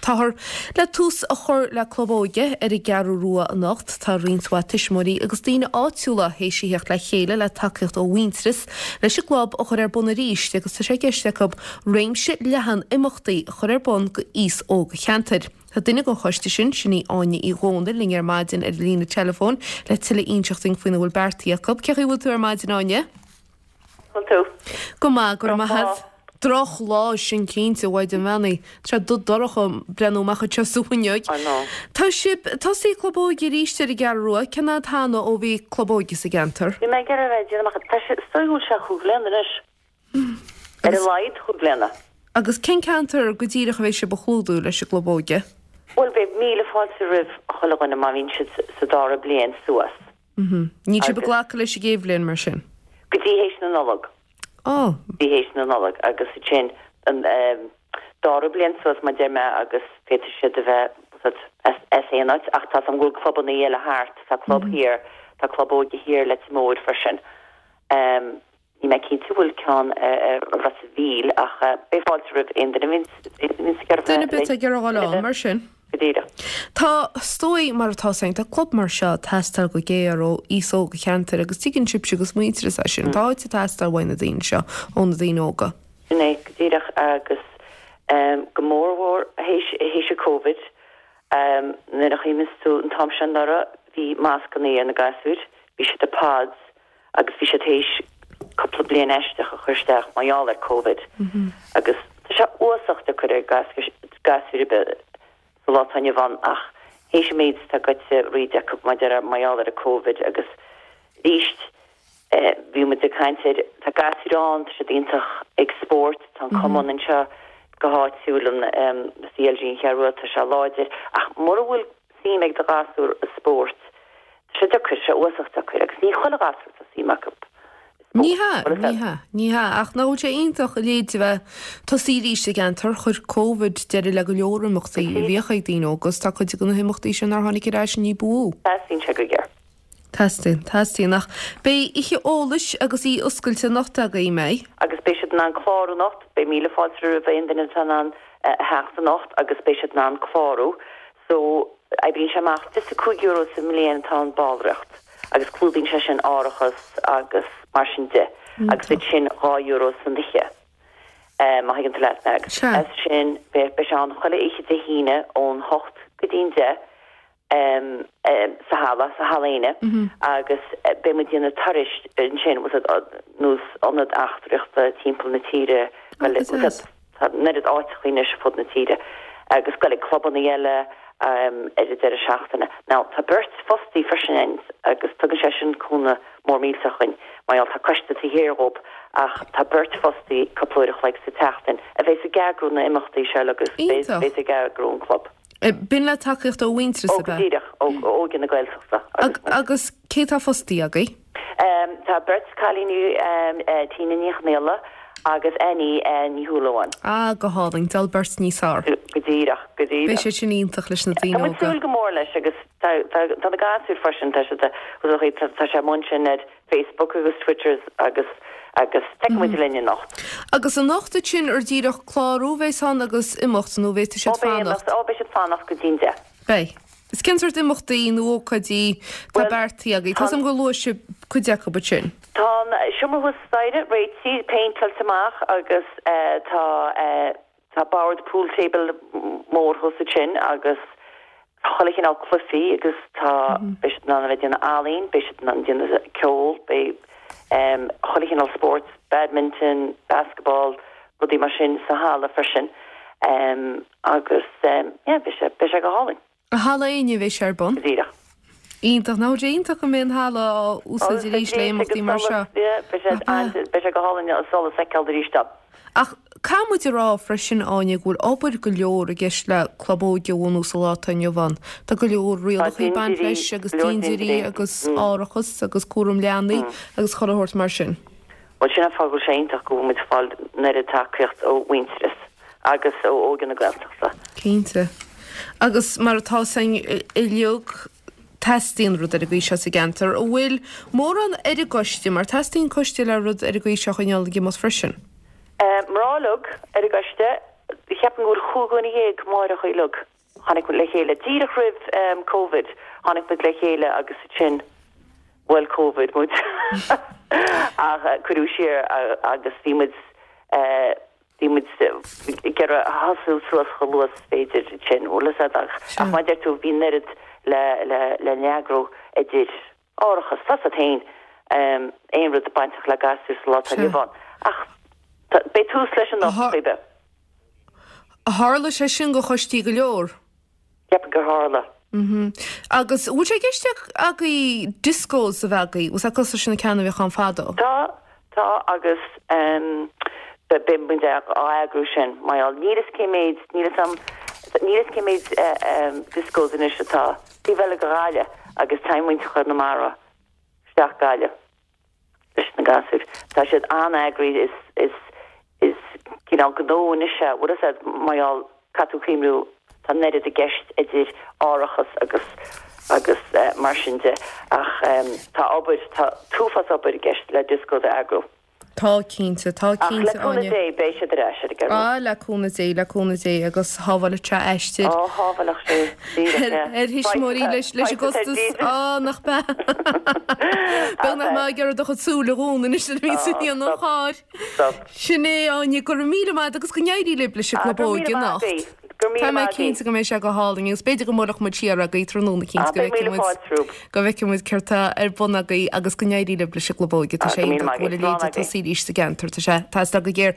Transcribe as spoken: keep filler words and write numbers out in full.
Táthar le tús a chur le Club Óige ar an gCeathrú Rua anocht. Tá roinnt mhaith tuismitheoirí agus daoine áitiúla théis a theacht le chéile le tacaíocht ó Mhuintearas leis an gclub a chur ar bun arís agus tá sé i gceist acu réimse leathan imeachtaí a chur ar bun go aos óg an cheantair. Tá duine den choiste sin, sin í Áine Uí Dhónaill, linn ar maidin ar líne telefóin le tuilleadh a inseacht dúinn faoina bhfuil beartaithe acu. Cén chaoi a bhfuil tú ar maidin, Áine? Bhfuil tú? Go maith, go raibh maith agat. Drochlá sin cinnte, a Mhaighdean Bheannaithe. Tá sé dubh dorcha breathnú amach anseo sa bhfuinneog. I know. Tá sibh tosaí Club Óige arís ar an gCeathrú Rua. Cén fhad cheana ó bhí Club Óige sa gceantar? Bhí mé ag iarraidh a bheith déanamh amach, tá sé, is dóigh go bhfuil sé chúig bliana anois. Ar a laghad chúig bliana. Agus cén ceantar go díreach a bheidh sibh a chlúdú leis an gClub Óige? Bhuel, beidh míle fáilte roimh chuile dhuine má bhíonn siad sa dara bliain suas. Níl sibh ag glacadh leis an gcéad bhliain mar sin? Go dtí théis na Nollag. Ó. Go dtí théis na Nollag agus ansin an dara bliain suas mar deir mé agus féadfaidh siad a bheith as as aon áit ach tá a fhios agam go bhfuil clubanna eile thart, tá club thiar, tá club óige thiar Leitir Móir freisin. Níl mé cinnte an bhfuil ceann ar Ros a' Mhíl ach beidh fáilte roimh aon duine a bhíonns ag iarraidh Duine ar bith ag iarraidh a dhul ann mar sin. Go díreach. Tá, is dóigh, mar atá a fhios againn, tá club mar seo ag teastáil go géar ó aos óg an cheantair agus tuigeann sibhse agus Muintearas é sin. Tá áit ag teastáil uaidh na daoine seo, ó na daoine óga. Sin é, go díreach agus go mórmhór théis, théis an Covid, nuair a chuimhníos tú an t-am sin anuraidh, bhí mascannaí ar na gasúir, bhí siad i pods agus bhí siad théis cúpla bliain aisteach a chur isteach mar gheall ar Covid agus tá sé uafásach deacair ar gasúir ar bith sa lá atá inniu ann ach théis an méid atá goite thríd acu mar gheall ar an Covid agus arís bhí muid ag caint ar tá gasúir ann, tá siad iontach ag spórt, tá an cumann anseo go háitiúil an C L G an Cheathrú Rua, tá sé láidir ach mura bhfuil suim ag do ghasúr i spórt, tá sé deacair, sé uafásach deacair agus ní chuile ghasúr tá suim acu i spórt. Ní hea, ní hea, ní hea, ach nach bhfuil sé iontach a leithéid a bheith tosaí arís sa gceantar, chuir Covid deireadh le go leor imeachtaí a bhíodh ag daoine óga agus tá cuid de na himeachtaí sin nár tháinig ar ais ní ba mhó. Teastaíonn sé go géar. Teastaíonn, teastaíonn, ach beidh oíche eolais agus oíche oscailte anocht agaibh, an mbeidh? Agus beidh siad in ann clárú anocht, beidh míle fáilte roimh aon duine atá in ann a theacht anocht agus beidh siad in ann clárú. So, oibríonn sé amach fiche cúig euro sa mbliain atá an ballraíocht agus clúdaíonn sé sin árachas agus mar sin de agus ansin dhá euro san oíche, má thuigeann tú leat mé. Agus as sin beidh sé ann chuile oíche Dé hAoine ón hocht go dtí'n deich sa halla, sa Halla Éinne agus beidh muid ag déanamh turais ansin, nós ionad eachtraíochta timpeall na tíre, tá an oiread áiteacha anois ar fud na tíre agus goil ag clubanna eile ar an deireadh seachtaine. Now tá beirt fostaí freisin ann agus tugann sé sin cúnamh mór millteach dhuinn mar gheall tá coiste taobh thiar dhób ach tá beirt fostaí cúpla uair a chloig sa tseachtain a bheas ag eagrú na imeachtaí seo agus bheas ag eagrú an club. B'in le tacaíocht ó Mhuintearas, ab ea? Ó, go díreach, ó Óige na Gaeltachta. Agus cé tá fostaí agaibh? Tá beirt cailíní, Tina Ní Chonghaile agus Annie Ní Shúilleabháin. Ah, go hálainn, d'fháil beirt níos fearr. Go díreach, go díreach. Beidh sé sin iontach leis na daoine óga. Tá muid súil go mór leis agus tá na gasúir freisin, tá siad, tá sé amuigh ansin ar Facebook agus Twitter agus agus feicfidh muid linn anocht. Agus anocht ansin ar díreach clárú a bheas ann agus imeacht nó bheidh siad fanacht? Ó beidh siad fanacht go dtí'n deich. Beidh. Is cén sórt imeachtaí nó ócáidí tá beartaithe agaibh? Tá 'fhios a'm gur luaigh sibh cuid acu ansin. Tá an seomra thuas staighre réitithe, péinteáilte amach agus tá Tá bord pool table mór thuas ansin agus tá chuile chineál cluichí agus tá, beidh siad in ann a bheith ag déanamh ealaín, beidh siad in ann déanamh ceol, beidh chuile chineál spórt, badminton, basketball, rudaí mar sin sa halla freisin agus yeah, beidh sé, beidh sé go hálainn. I Halla Éinne a bheidh sé ar bun. Go díreach. Iontach. Nach bhfuil sé iontach go mbeidh an halla á úsáid arís le imeachtaí mar seo? Beidh sé go hálainn an solas a fheiceáil arís ann. Ach caithfidh muid a rá freisin, Áine, go bhfuil obair go leor i gceist le club óige a bhunú sa lá atá inniu ann. Tá go leor rialacha ag baint leis agus dintiúirí agus árachas agus cúram leanaí agus chuile shórt mar sin. Bhuel, sin an fáth go bhfuil sé iontach go bhfuil muid ag fáil an oiread tacaíocht ó Mhuintearas agus ó Óige na Gaeltachta. Cinnte. Agus mar atá 'fhios againn uilig, teastaíonn rud ar an gcaoi seo sa gceantar. An bhfuil mórán ar an gcoiste, mar teastaíonn coiste le rud ar an gcaoi seo a choinneáil ag imeacht freisin? Mná uilig ar an gcoiste. Cheapaim go bhfuil chúig dhuine dhéag amárach uilig. Tháinig muid le chéile díreach roimh um, Covid. Tháinig muid le chéile agus sin bhuail Covid muid. Ach eh, cuireadh siar agus bhí muid eh, bhí muid ag iarraidh tosú suas chomh luath is féidir sin bhfuil a fhios agat ach ach mar a deir tú bhí an oiread le le le n-eagrú idir árachas tá a fhios agat féin um, aon rud bainteach le gasúir sa lá atá inniu ann. Ach beidh tús leis anocht faoi bith. Tharla sé sin go choistí go leor. Ceapaim gur tharla. Mm Agus bhfuil sé i gceist agaibh discos a bheith agaibh, was cosúil leis na ceanna a bhíodh ann fadó? Tá tá agus um, beidh muid á eagrú sin mar níl a fhios cé mhéad níl am níl a fhios cé mhéad uh, um, discos anois atá taobh eile de Ghaillimh agus tá muintir Chonamara isteach Gaillimh leis na gasúir. Tá siad an-eagraithe is is is cineál gnó anois é bhfuil a fhios agat mar caithfidh tú cuimhniú tá an oiread i gceist idir árachas agus agus uh, mar sin de ach um, tá obair tá uafás obair i gceist le disco a eagrú. Tá cinnte tá Ach le cinnte cúnamh Áine. Dé beidh siad ar ais ar an Á le cúnamh Dé le cúnamh Dé agus sábhálfadh sé aistear. Á shábhálfadh sé Ar thuismitheoirí leis leis an gcostas á nach be. Beag nach má gur do súla rún is a bhí an cháir. Sin é Áine go raibh míle maith agus go n-éirí libh leis an gclub óige anocht. Tá mé cinnte go mbeidh sé go hálainn agus b'fhéidir go mbuailfidh muid siar agaibh tráthnóna cinnte go bhfeicfidh muid go bhfeicfidh muid céard atá ar bun agaibh agus go n-éirí libh leis an gclub óige tá sé go bhfuil léide tá sí sa gceantar tá sé tá go géar.